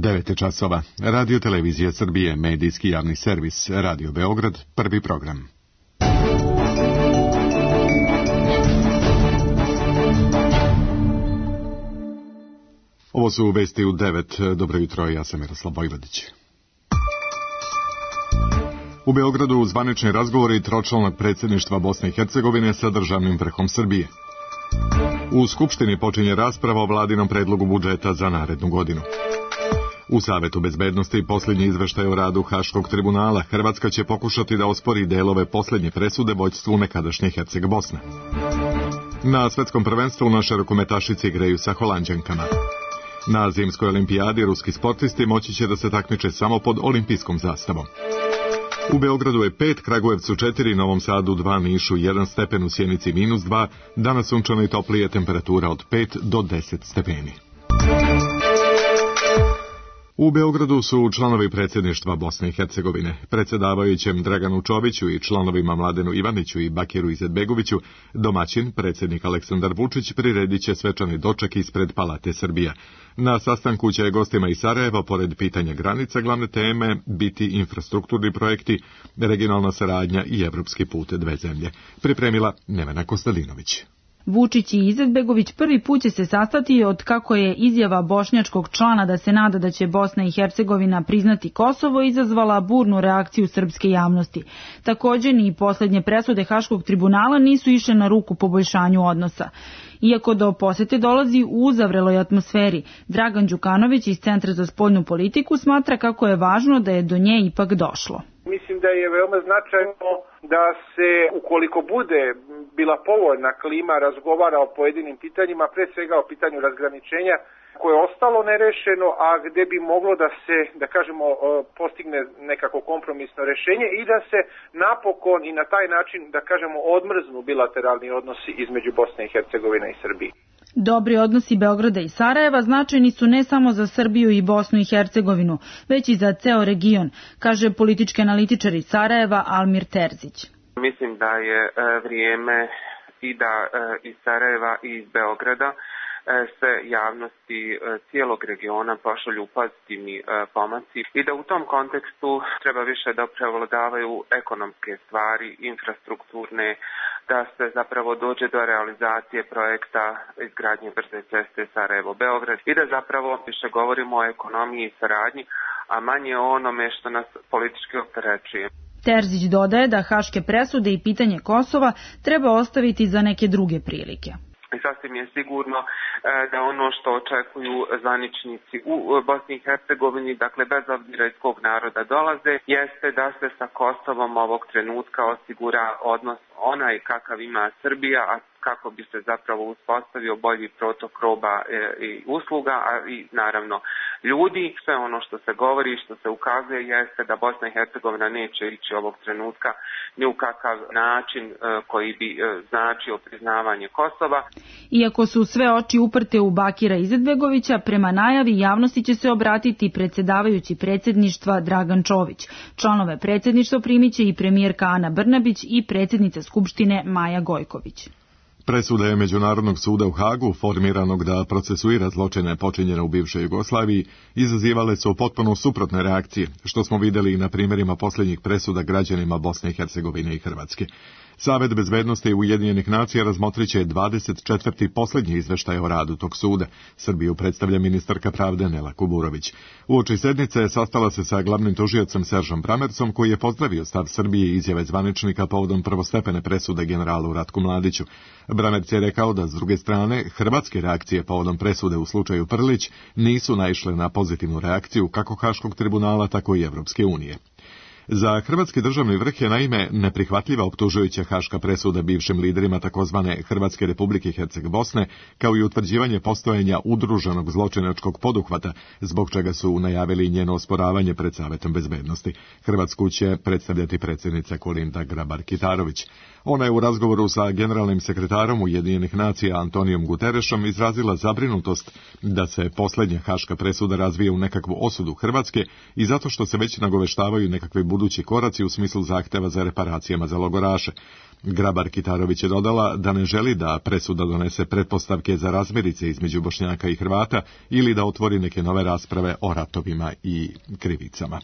9 časova. Radio Televizija Srbije, medijski javni servis, Radio Beograd, prvi program. Ovo su vesti u 9. Dobro jutro, ja sam Miroslav Vojvodić. U Beogradu zvanični razgovori tročlanog predsjedništva Bosne i Hercegovine sa državnim vrhom Srbije. U Skupštini počinje rasprava o vladinom predlogu budžeta za narednu godinu. U Savetu bezbednosti posljednji izveštaj o radu Haškog tribunala. Hrvatska će pokušati da ospori delove posljednje presude vođstvu nekadašnje Herceg Bosne. Na svetskom prvenstvu naše rukometašice igraju sa Holanđankama. Na zimskoj olimpijadi ruski sportisti moći će da se takmiče samo pod olimpijskom zastavom. U Beogradu je 5, Kragujevcu 4, Novom Sadu 2, Nišu 1 stepen, u Sjenici -2, danas sunčano i toplije, temperatura od 5 do 10 stepeni. U Beogradu su članovi predsjedništva Bosne i Hercegovine. Predsjedavajućem Draganu Čoviću i članovima Mladenu Ivaniću i Bakiru Izetbegoviću domaćin, predsjednik Aleksandar Vučić, priredit će svečani doček ispred Palate Srbija. Na sastanku će gostima iz Sarajeva, pored pitanja granica, glavne teme biti infrastrukturni projekti, regionalna saradnja i evropski put dve zemlje. Pripremila Nevena Kostadinović. Vučić i Izetbegović prvi put će se sastati od kako je izjava bošnjačkog člana da se nada da će Bosna i Hercegovina priznati Kosovo izazvala burnu reakciju srpske javnosti. Također ni posljednje presude Haškog tribunala nisu išle na ruku poboljšanju odnosa. Iako do posete dolazi u uzavreloj atmosferi, Dragan Đukanović iz Centra za spoljnu politiku smatra kako je važno da je do nje ipak došlo. Mislim da je veoma značajno da se, ukoliko bude bila povoljna klima, razgovara o pojedinim pitanjima, pre svega o pitanju razgraničenja koje je ostalo nerešeno, a gde bi moglo da se, da kažemo, postigne nekako kompromisno rešenje i da se napokon i na taj način, da kažemo, odmrznu bilateralni odnosi između Bosne i Hercegovine i Srbije. Dobri odnosi Beograda i Sarajeva značajni su ne samo za Srbiju i Bosnu i Hercegovinu, već i za ceo region, kaže politički analitičar iz Sarajeva Almir Terzić. Mislim da je vrijeme i da iz Sarajeva i iz Beograda se javnosti cijelog regiona pošalju pozitivni pomaci i da u tom kontekstu treba više da prevladavaju ekonomske stvari, infrastrukturne, da se zapravo dođe do realizacije projekta izgradnje brze ceste Sarajevo-Beograd i da zapravo više govorimo o ekonomiji i saradnji, a manje o onome što nas politički opterećuje. Terzić dodaje da haške presude i pitanje Kosova treba ostaviti za neke druge prilike. I sasvim je sigurno da ono što očekuju zvaničnici u Bosni i Hercegovini, dakle bez obzira iz kog naroda dolaze, jeste da se sa Kosovom ovog trenutka osigura odnos onaj kakav ima Srbija, a kako bi se zapravo uspostavio bolji protok roba i usluga, a i naravno ljudi. Sve ono što se govori i što se ukazuje jeste da Bosna i Hercegovina neće ići ovog trenutka ni u kakav način koji bi značio priznavanje Kosova. Iako su sve oči uprte u Bakira Izetbegovića, prema najavi javnosti će se obratiti predsjedavajući predsjedništva Dragan Čović. Članove predsjedništva primiće i premijerka Ana Brnabić i predsjednica Skupštine Maja Gojković. Presude Međunarodnog suda u Hagu, formiranog da procesuira zločine počinjene u bivšoj Jugoslaviji, izazivale su potpuno suprotne reakcije, što smo vidjeli i na primjerima posljednjih presuda građanima Bosne i Hercegovine i Hrvatske. Savet bezbednosti Ujedinjenih nacija razmotrit će 24. posljednji izveštaj o radu tog suda. Srbiju predstavlja ministarka pravde Nela Kuburović. Uoči sednice sastala se sa glavnim tužiocem Seržom Bramercom, koji je pozdravio stav Srbije i izjave zvaničnika povodom prvostepene presude generalu Ratku Mladiću. Bramerc je rekao da, s druge strane, hrvatske reakcije povodom presude u slučaju Prlić nisu naišle na pozitivnu reakciju kako Haškog tribunala, tako i Evropske unije. Za hrvatski državni vrh je naime neprihvatljiva optužujuća haška presuda bivšim liderima takozvane Hrvatske republike Herceg Bosne, kao i utvrđivanje postojanja udruženog zločinačkog poduhvata, zbog čega su najavili njeno osporavanje pred Savetom bezbednosti. Hrvatsku će predstavljati predsjednica Kolinda Grabar-Kitarović. Ona je u razgovoru sa generalnim sekretarom Ujedinjenih nacija Antonijom Guterešom izrazila zabrinutost da se posljednja haška presuda razvije u nekakvu osudu Hrvatske i zato što se već nagoveštavaju nekakve buduće budući koraci u smislu zahteva za reparacijama za logoraše. Grabar-Kitarović je dodala da ne želi da presuda donese pretpostavke za razmirice između Bošnjaka i Hrvata ili da otvori neke nove rasprave o ratovima i krivicama.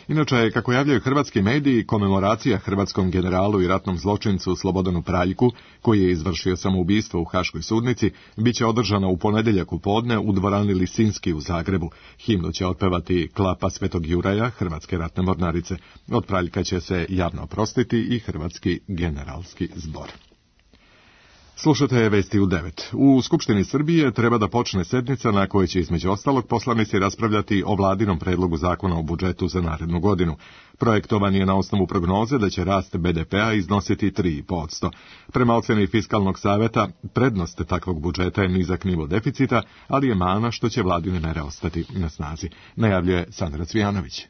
Inače, kako javljaju hrvatski mediji, komemoracija hrvatskom generalu i ratnom zločincu Slobodanu Praljku, koji je izvršio samoubistvo u Haškoj sudnici, bit će održana u ponedjeljak u podne u dvorani Lisinski u Zagrebu. Himnu će otpevati Klapa Svetog Juraja, Hrvatske ratne mornarice. Od Praljka će se javno oprostiti i Hrvatski generalski zbor. Slušate vesti u 9. U Skupštini Srbije treba da počne sednica na kojoj će između ostalog poslanici raspravljati o vladinom predlogu zakona o budžetu za narednu godinu. Projektovan je na osnovu prognoze da će rast BDP-a iznositi 3,5%. Prema oceni Fiskalnog saveta, prednost takvog budžeta je nizak nivo deficita, ali je mana što će vladine mere ostati na snazi, najavljuje Sandra Cvijanović.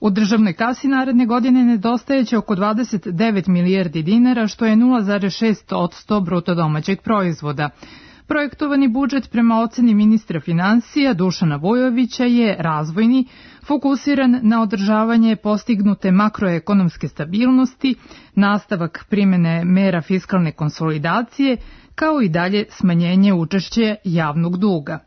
U državnoj kasi naredne godine nedostajeće oko 29 milijardi dinara, što je 0,6% bruto domaćeg proizvoda. Projektovani budžet prema oceni ministra finansija Dušana Vujovića je razvojni, fokusiran na održavanje postignute makroekonomske stabilnosti, nastavak primene mera fiskalne konsolidacije, kao i dalje smanjenje učešća javnog duga.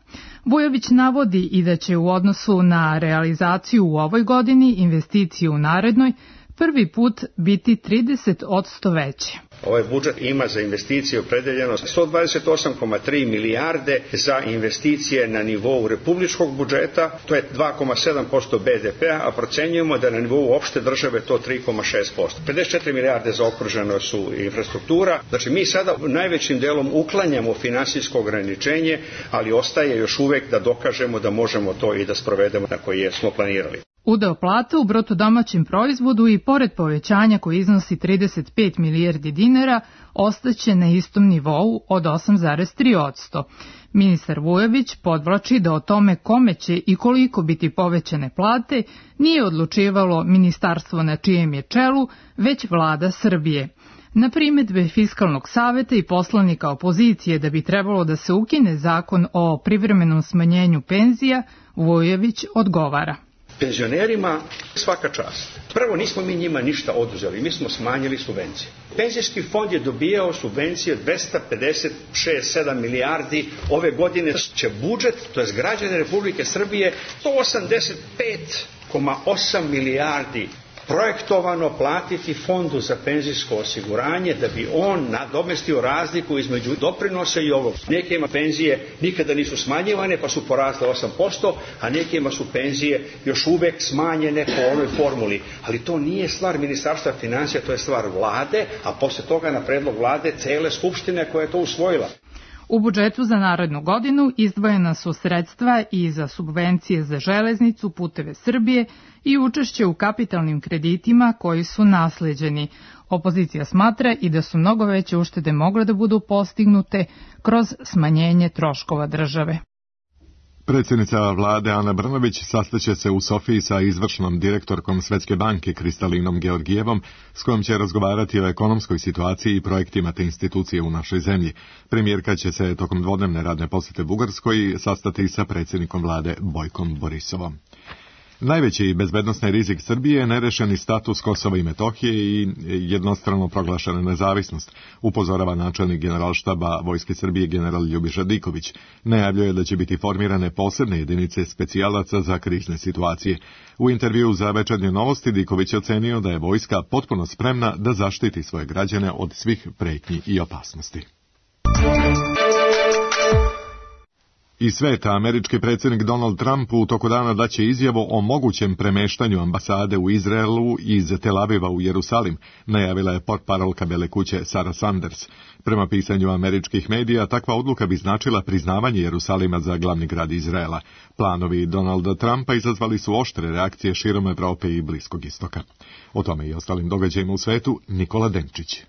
Vujović navodi i da će u odnosu na realizaciju u ovoj godini investicije u narednoj prvi put biti 30% veće. Ovaj budžet ima za investicije opredeljeno 128,3 milijarde za investicije na nivou republičkog budžeta, to je 2,7% BDP-a, a procenjujemo da na nivou opšte države to 3,6%. 54 milijarde zaokruženo su infrastruktura, znači mi sada najvećim delom uklanjamo finansijsko ograničenje, ali ostaje još uvek da dokažemo da možemo to i da sprovedemo na koje smo planirali. Udeo plata u bruto domaćem proizvodu i pored povećanja koji iznosi 35 milijardi dinara ostaće na istom nivou od 8,3%. Ministar Vujović podvlači da o tome kome će i koliko biti povećane plate nije odlučivalo ministarstvo na čijem je čelu, već vlada Srbije. Na primedbe Fiskalnog saveta i poslanika opozicije da bi trebalo da se ukine zakon o privremenom smanjenju penzija, Vujović odgovara. Penzionerima svaka čast. Prvo, nismo mi njima ništa oduzeli, mi smo smanjili subvencije. Penzijski fond je dobijao subvencije 256,7 milijardi, ove godine će budžet, to je građane Republike Srbije, 185,8 milijardi projektovano platiti fondu za penzijsko osiguranje da bi on nadomestio razliku između doprinosa i ovog. Nekima penzije nikada nisu smanjivane pa su porasle 8%, a nekima su penzije još uvek smanjene po onoj formuli. Ali to nije stvar Ministarstva finansija, to je stvar vlade, a posle toga na predlog vlade cele skupštine koja je to usvojila. U budžetu za narednu godinu izdvojena su sredstva i za subvencije za železnicu, Puteve Srbije i učešće u kapitalnim kreditima koji su nasleđeni. Opozicija smatra i da su mnogo veće uštede mogle da budu postignute kroz smanjenje troškova države. Predsjednica vlade Ana Brnabić sastaće se u Sofiji sa izvršnom direktorkom Svetske banke Kristalinom Georgijevom, s kojom će razgovarati o ekonomskoj situaciji i projektima te institucije u našoj zemlji. Premijerka će se tokom dvodnevne radne posjete Bugarskoj sastati sa predsjednikom vlade Bojkom Borisovom. Najveći bezbednosni rizik Srbije je nerešeni status Kosova i Metohije i jednostrano proglašena nezavisnost, upozorava načelnik Generalštaba Vojske Srbije general Ljubiša Diković. Najavljuje da će biti formirane posebne jedinice specijalaca za krizne situacije. U intervjuu za Večernje novosti Diković je ocenio da je vojska potpuno spremna da zaštiti svoje građane od svih pretnji i opasnosti. Iz sveta, američki predsjednik Donald Trump u toku dana daće izjavu o mogućem premeštanju ambasade u Izraelu iz Tel Aviva u Jerusalim, najavila je portparolka Bele kuće Sarah Sanders. Prema pisanju američkih medija, takva odluka bi značila priznavanje Jerusalima za glavni grad Izraela. Planovi Donalda Trumpa izazvali su oštre reakcije širom Evrope i Bliskog istoka. O tome i ostalim događajima u svetu Nikola Denčić.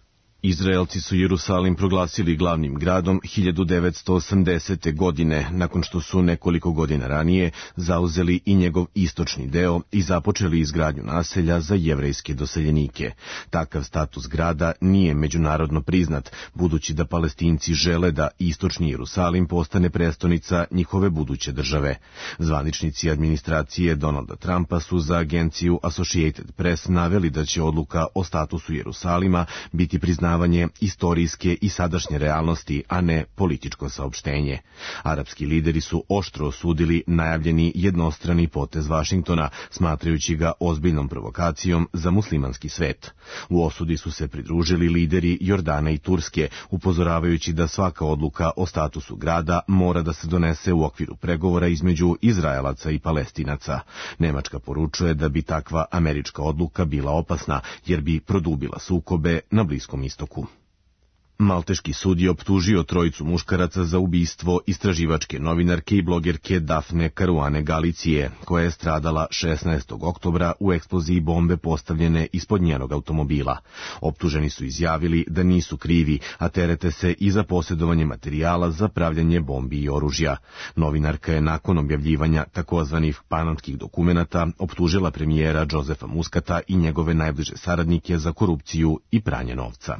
Izraelci su Jerusalim proglasili glavnim gradom 1980. godine, nakon što su nekoliko godina ranije zauzeli i njegov istočni deo i započeli izgradnju naselja za jevrejske doseljenike. Takav status grada nije međunarodno priznat, budući da Palestinci žele da istočni Jerusalim postane prestonica njihove buduće države. Zvaničnici administracije Donalda Trumpa su za agenciju Associated Press naveli da će odluka o statusu Jerusalima biti priznavanje istorijske i sadašnje realnosti, a ne političko saopštenje. Arapski lideri su oštro osudili najavljeni jednostrani potez Vašingtona, smatrajući ga ozbiljnom provokacijom za muslimanski svet. U osudi su se pridružili lideri Jordana i Turske, upozoravajući da svaka odluka o statusu grada mora da se donese u okviru pregovora između Izraelaca i Palestinaca. Nemačka poručuje da bi takva američka odluka bila opasna, jer bi produbila sukobe na Bliskom istoku. Malteški sud je optužio trojicu muškaraca za ubistvo istraživačke novinarke i blogerke Dafne Caruane Galicije, koja je stradala 16. oktobra u eksploziji bombe postavljene ispod njenog automobila. Optuženi su izjavili da nisu krivi, a terete se i za posjedovanje materijala za pravljanje bombi i oružja. Novinarka je nakon objavljivanja takozvanih panamskih dokumenata optužila premijera Josefa Muskata i njegove najbliže saradnike za korupciju i pranje novca.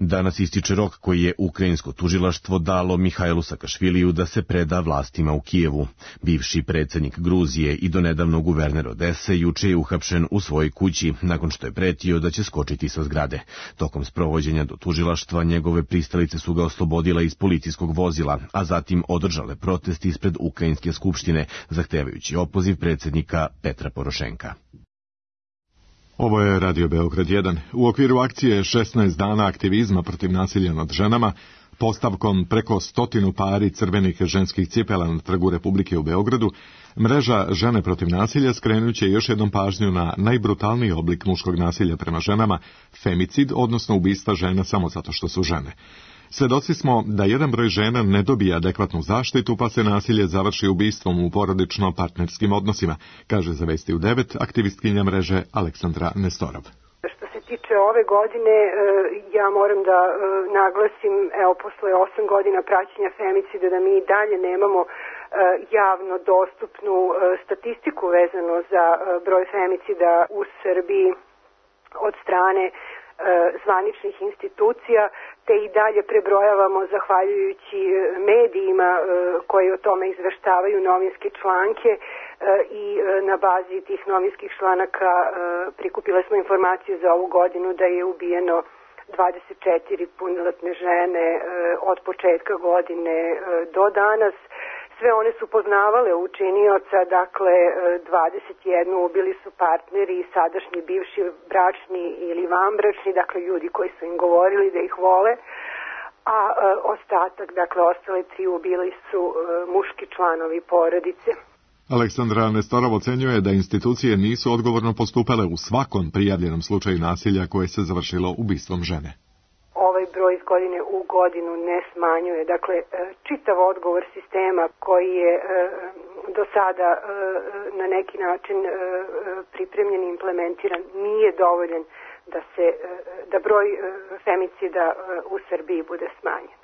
Danas ističe rok koji je ukrajinsko tužilaštvo dalo Mihajlu Sakašviliju da se preda vlastima u Kijevu. Bivši predsjednik Gruzije i donedavno guverner Odese juče je uhapšen u svojoj kući, nakon što je pretio da će skočiti sa zgrade. Tokom sprovođenja do tužilaštva njegove pristalice su ga oslobodile iz policijskog vozila, a zatim održale protest ispred Ukrajinske skupštine, zahtevajući opoziv predsjednika Petra Porošenka. Ovo je Radio Beograd 1. U okviru akcije 16 dana aktivizma protiv nasilja nad ženama, postavkom preko 100 pari crvenih ženskih cipela na Trgu Republike u Beogradu, mreža Žene protiv nasilja skrenut će još jednom pažnju na najbrutalniji oblik muškog nasilja prema ženama, femicid, odnosno ubistva žena samo zato što su žene. Svedoci smo da jedan broj žena ne dobije adekvatnu zaštitu, pa se nasilje završi ubistvom u porodično-partnerskim odnosima, kaže za Vesti u 9 aktivistkinja mreže Aleksandra Nestorov. Što se tiče ove godine, ja moram da naglasim, posle 8 godina praćenja femicida, da mi i dalje nemamo javno dostupnu statistiku vezano za broj femicida u Srbiji od strane zvaničnih institucija, te i dalje prebrojavamo zahvaljujući medijima koji o tome izveštavaju novinske članke i na bazi tih novinskih članaka prikupile smo informaciju za ovu godinu da je ubijeno 24 punoletne žene od početka godine do danas. Sve one su poznavale učinioca, dakle 21 ubili su partneri, sadašnji, bivši, bračni ili vanbračni, dakle ljudi koji su im govorili da ih vole, a ostatak, dakle ostale 3 ubili su muški članovi porodice. Aleksandra Nestorov ocenjuje da institucije nisu odgovorno postupale u svakom prijavljenom slučaju nasilja koje se završilo ubistvom žene. Ovaj broj iz godine u godinu ne smanjuje. Dakle, čitav odgovor sistema koji je do sada na neki način pripremljen i implementiran nije dovoljan da broj femicida u Srbiji bude smanjen.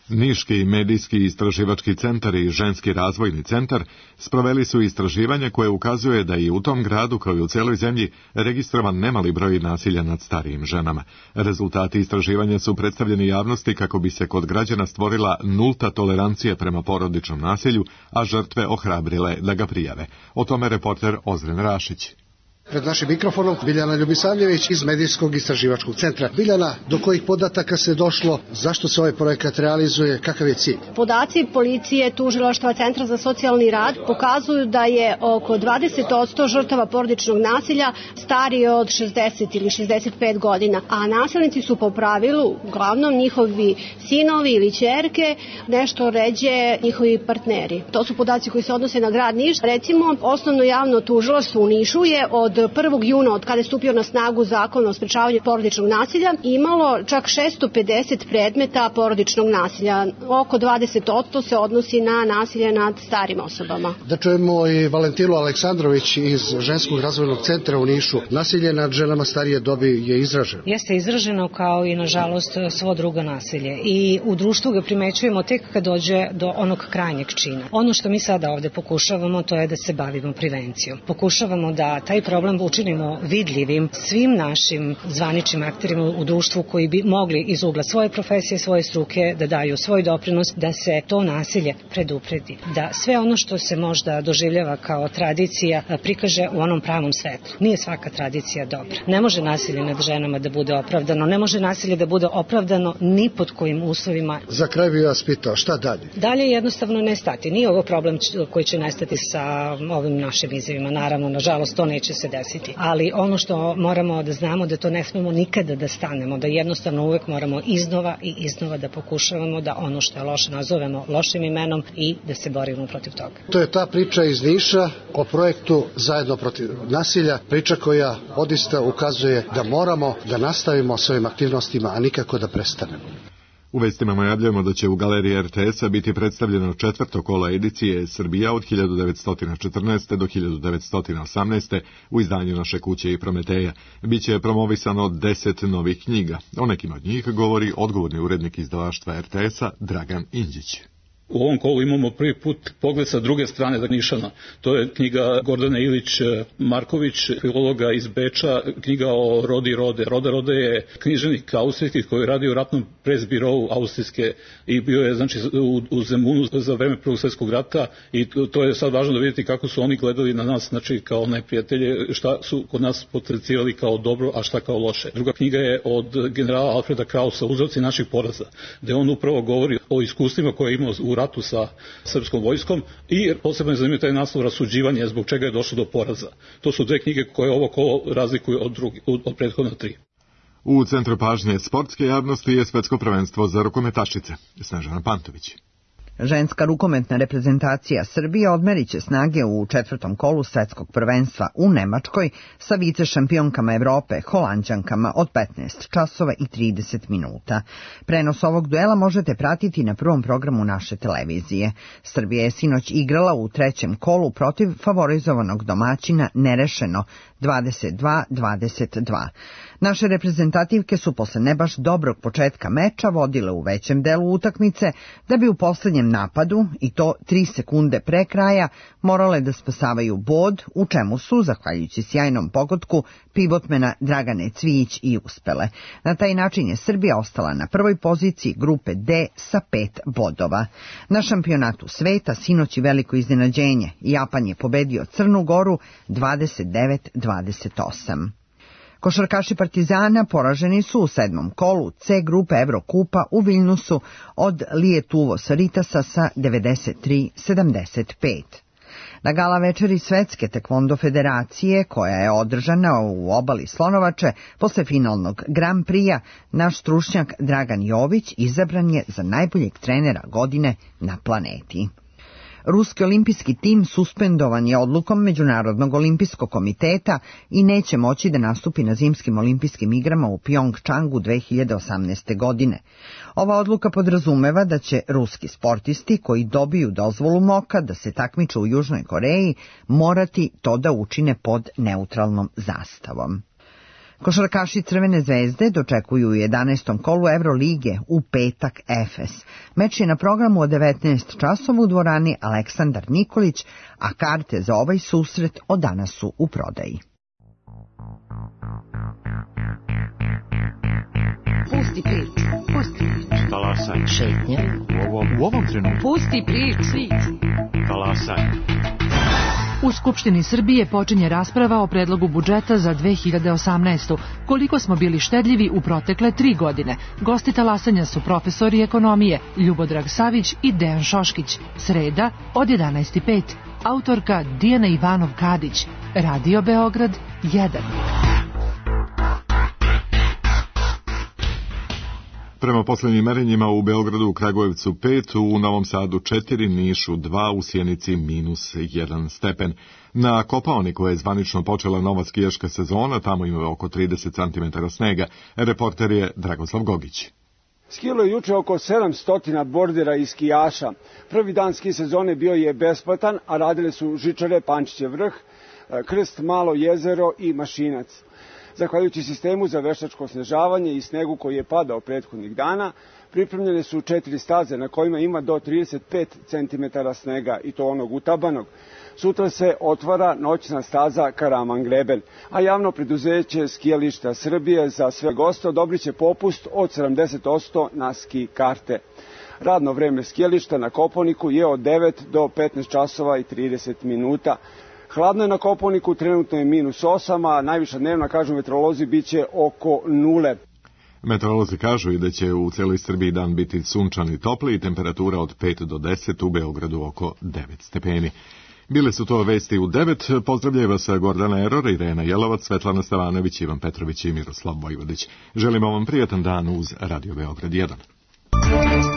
Niški medijski istraživački centar i ženski razvojni centar sproveli su istraživanje koje ukazuje da i u tom gradu kao i u cijeloj zemlji registrovan nemali broj nasilja nad starijim ženama. Rezultati istraživanja su predstavljeni javnosti kako bi se kod građana stvorila nulta tolerancija prema porodičnom nasilju, a žrtve ohrabrile da ga prijave. O tome reporter Ozren Rašić. Pred našim mikrofonom Biljana Ljubisavljević iz Medijskog istraživačkog centra. Biljana, do kojih podataka se došlo, zašto se ovaj projekat realizuje, kakav je cilj? Podaci policije, tužilaštva, Centra za socijalni rad pokazuju da je oko 20% žrtava porodičnog nasilja starije od 60 ili 65 godina, a nasilnici su po pravilu uglavnom njihovi sinovi ili ćerke, nešto ređe njihovi partneri. To su podaci koji se odnose na grad Niš. Recimo, osnovno javno tužilaštvo u Nišu je od 1. juna, od kada je stupio na snagu zakon o sprečavanju porodičnog nasilja, imalo čak 650 predmeta porodičnog nasilja. Oko 20% se odnosi na nasilje nad starim osobama. Da čujemo i Valentinu Aleksandrović iz Ženskog razvojnog centra u Nišu. Nasilje nad ženama starije dobi je izraženo. Jeste izraženo kao i, nažalost, svo drugo nasilje. I u društvu ga primećujemo tek kad dođe do onog krajnjeg čina. Ono što mi sada ovde pokušavamo, to je da se bavimo prevencijom. Pokušavamo da taj problem učinimo vidljivim svim našim zvaničnim akterima u društvu koji bi mogli iz ugla svoje profesije, svoje struke da daju svoj doprinos da se to nasilje predupredi. Da sve ono što se možda doživljava kao tradicija prikaže u onom pravom svetlu. Nije svaka tradicija dobra. Ne može nasilje nad ženama da bude opravdano, ne može nasilje da bude opravdano ni pod kojim uslovima. Za kraj bih vas pitao, šta dalje? Dalje jednostavno ne stati. Nije ovo problem koji će nestati sa ovim našim izjavima. Naravno, nažalost, to neće se desiti. Ali ono što moramo da znamo da to ne smemo nikada da stanemo, da jednostavno uvek moramo iznova i iznova da pokušavamo da ono što je loše nazovemo lošim imenom i da se borimo protiv toga. To je ta priča iz Niša o projektu Zajedno protiv nasilja, priča koja odista ukazuje da moramo da nastavimo s ovim aktivnostima, a nikako da prestanemo. U vestima najavljamo da će u galeriji RTS-a biti predstavljeno 4. kolo edicije Srbija od 1914. do 1918. u izdanju Naše kuće i Prometeja. Biće promovisano 10 novih knjiga. O nekim od njih govori odgovorni urednik izdavaštva RTS-a Dragan Inđić. U ovom kolu imamo prvi put pogled sa druge strane Nišana. To je knjiga Gordane Ilić-Marković, filologa iz Beča, knjiga o Rodi Rode. Roda Rode je književnik austrijski koji radi u ratnom presbirovu austrijske i bio je u Zemunu za vreme Prvog svjetskog rata i to je sad važno da vidite kako su oni gledali na nas kao neprijatelje, šta su kod nas potencijali kao dobro, a šta kao loše. Druga knjiga je od generala Alfreda Krausa, Uzroci naših poraza, gde on upravo govori o iskustvima koje je imao u ratu sa srpskom vojskom i posebno je zanimljiv taj naslov Rasuđivanje, zbog čega je došlo do poraza. To su dve knjige koje ovo kolo razlikuju od prethodne 3. U centru pažnje sportske javnosti je svetsko prvenstvo za rukometašice. Snežana Pantović. Ženska rukometna reprezentacija Srbije odmeriće snage u 4. kolu svetskog prvenstva u Nemačkoj sa vice šampionkama Evrope, Holanđankama od 15 časova i 30 minuta. Prenos ovog duela možete pratiti na prvom programu naše televizije. Srbija je sinoć igrala u 3. kolu protiv favorizovanog domaćina nerešeno 22-22. Naše reprezentativke su posle ne baš dobrog početka meča vodile u većem delu utakmice da bi u poslednjem napadu, i to 3 sekunde pre kraja, morale da spasavaju bod, u čemu su, zahvaljujući sjajnom pogodku, pivotmena Dragane Cvijić i uspele. Na taj način je Srbija ostala na prvoj poziciji grupe D sa 5 bodova. Na šampionatu sveta sinoć je veliko iznenađenje. Japan je pobedio Crnu Goru 29-28. Košarkaši Partizana poraženi su u 7. kolu C grupe Evrokupa u Viljnusu od Lietuvos Saritasa sa 93-75. Na gala večeri Svetske tekvondo federacije, koja je održana u obali Slonovače, posle finalnog Grand Prix-a, naš stručnjak Dragan Jović izabran je za najboljeg trenera godine na planeti. Ruski olimpijski tim suspendovan je odlukom Međunarodnog olimpijskog komiteta i neće moći da nastupi na zimskim olimpijskim igrama u Pjongčangu 2018. godine. Ova odluka podrazumeva da će ruski sportisti koji dobiju dozvolu MOK-a da se takmiče u Južnoj Koreji morati to da učine pod neutralnom zastavom. Košarkaši Crvene zvezde dočekuju u 11. kolu Evrolige u petak Efes. Meč je na programu od 19 časova u dvorani Aleksandar Nikolić, a karte za ovaj susret od danas su u prodaji. Pusti priču, pusti priču. Talasaj. Šetnja. U ovom trenutku. Pusti priču. Talasaj. U Skupštini Srbije počinje rasprava o predlogu budžeta za 2018. Koliko smo bili štedljivi u protekle 3 godine. Gosti talasanja su profesori ekonomije Ljubodrag Savić i Dejan Šoškić. Sreda od 11:05. Autorka Dijana Ivanov-Kadić. Radio Beograd 1. Prema poslednjim merenjima u Beogradu, u Kragujevcu 5, u Novom Sadu 4, Nišu 2, u Sjenici -1 stepen. Na Kopaoniku je zvanično počela nova skijaška sezona, tamo ima oko 30 cm snega. Reporter je Dragoslav Gogić. Skijalo je juče oko 700 bordera i skijaša. Prvi dan ski sezone bio je besplatan, a radile su žičare Pančićev vrh, Krst, Malo jezero i Mašinac. Zahvaljujući sistemu za veštačko snežavanje i snegu koji je padao prethodnih dana, pripremljene su 4 staze na kojima ima do 35 cm snega, i to onog utabanog. Sutra se otvara noćna staza Karaman Greben, a javno preduzeće Skijališta Srbije za sve goste odobriće popust od 70% na ski karte. Radno vreme skijališta na Kopaoniku je od 9 do 15 časova i 30 minuta. Hladno je na Kopaoniku, trenutno je -8, a najviša dnevna, kažu meteorolozi, biće oko 0. Meteorolozi kažu i da će u celoj Srbiji dan biti sunčan i topli i temperatura od 5 do 10, u Beogradu oko 9 stepeni. Bile su to vesti u 9. Pozdravljaju vas Gordana Eror, Irena Jelovac, Svetlana Stavanović, Ivan Petrović i Miroslav Vojvodić. Želimo vam prijatan dan uz Radio Beograd 1.